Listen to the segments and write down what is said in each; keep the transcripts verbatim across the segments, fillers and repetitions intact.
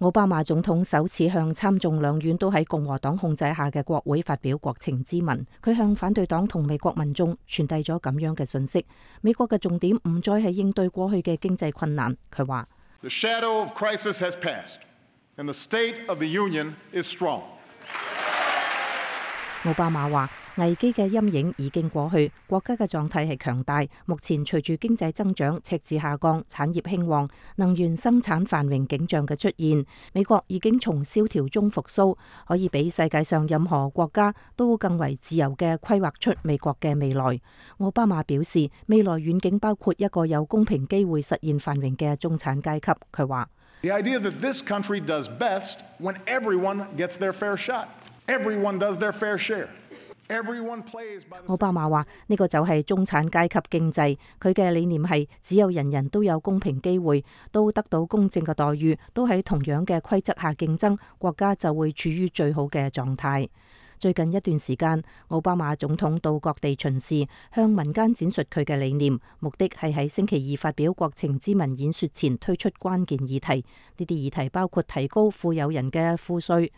奧巴馬總統首次向參眾兩院都喺共和黨控制下嘅國會發表國情咨文，佢向反對黨同美國民眾傳遞咗咁樣嘅信息：美國嘅重點唔再係應對過去嘅經濟困難。佢話：The shadow of crisis has passed, and the state of the union is strong. 奧巴馬話：危機嘅陰影已經過去，國家嘅狀態係強大。目前隨住經濟增長、赤字下降、產業興旺、能源生產繁榮景象嘅出現，美國已經從蕭條中復甦，可以比世界上任何國家都更為自由嘅規劃出美國嘅未來。奧巴馬表示，未來遠景包括一個有公平機會實現繁榮嘅中產階級。佢話：The idea that this country does best when everyone gets their fair shot. Everyone does their fair share. Everyone plays by the... 奧巴馬話：呢個就係中產階級經濟，佢嘅理念係只有人人都有公平機會，都得到公正嘅待遇，都喺同樣嘅規則下競爭，國家就會處於最好嘅狀態。最近一段時間，奧巴馬總統到各地巡視，向民間展述佢嘅理念，目的係喺星期二發表國情咨文演說前推出關鍵議題。呢啲議題包括提高富有人嘅賦稅，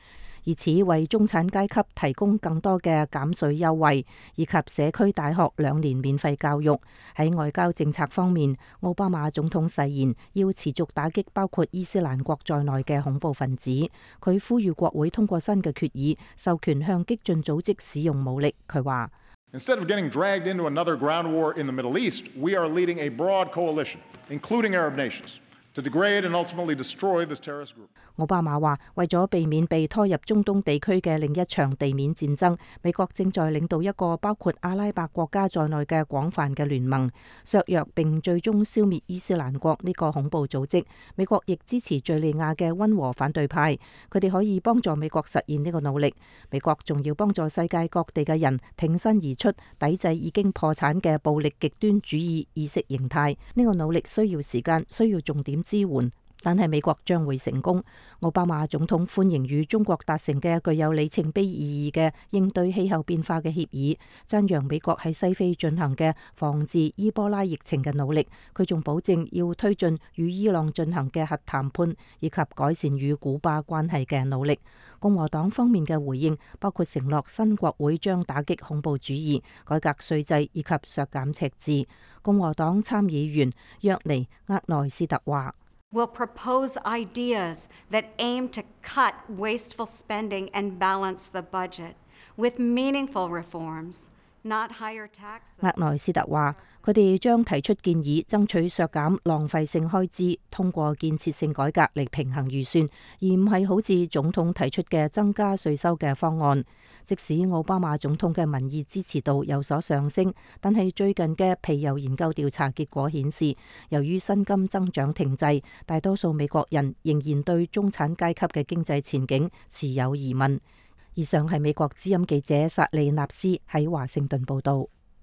以此為中產階級提供更多嘅減稅優惠，以及社區大學兩年免費教育。喺外交政策方面，奧巴馬總統誓言要持續打擊包括伊斯蘭國在內嘅恐怖分子。佢呼籲國會通過新嘅決議，授權向激進組織使用武力。佢話：Instead of getting dragged into another ground war in the Middle East, we are leading a broad coalition, including Arab nations, to degrade and ultimately destroy this terrorist group. 奧巴馬話：為咗避免被拖入中東地區嘅另一場地面戰爭，美國正在領導一個包括阿拉伯國家在內嘅廣泛嘅聯盟，削弱並最終消滅伊斯蘭國呢個恐怖組織。美國亦支持敘利亞嘅溫和反對派，佢哋可以幫助美國實現呢個努力。美國仲要幫助世界各地嘅人挺身而出，抵制已經破產嘅暴力極端主義意識形態。呢個努力需要時間，需要重點支援。但係美國將會成功。奧巴馬總統歡迎與中國達成嘅具有里程碑意義嘅應對氣候變化嘅協議，讚揚美國喺西非進行嘅防治伊波拉疫情嘅努力。佢仲保證要推進與伊朗進行嘅核談判，以及改善與古巴關係嘅努力。共和黨方面嘅回應包括承諾新國會將打擊恐怖主義、改革稅制以及削減赤字。共和黨參議員約尼厄內斯特話：Will propose ideas that aim to cut wasteful spending and balance the budget with meaningful reforms, not higher taxes. 厄內斯特話：佢哋將提出建議，爭取削減浪費性開支，通過建設性改革嚟平衡預算，而唔係好似總統提出嘅增加稅收嘅方案。即使奧巴馬總統嘅民意支持度有所上升，但係最近嘅皮尤研究調查結果顯示，由於薪金增長停滯，大多數美國人仍然對中產階級嘅經濟前景持有疑問。以上係美國之音記者薩利納斯喺華盛頓報道。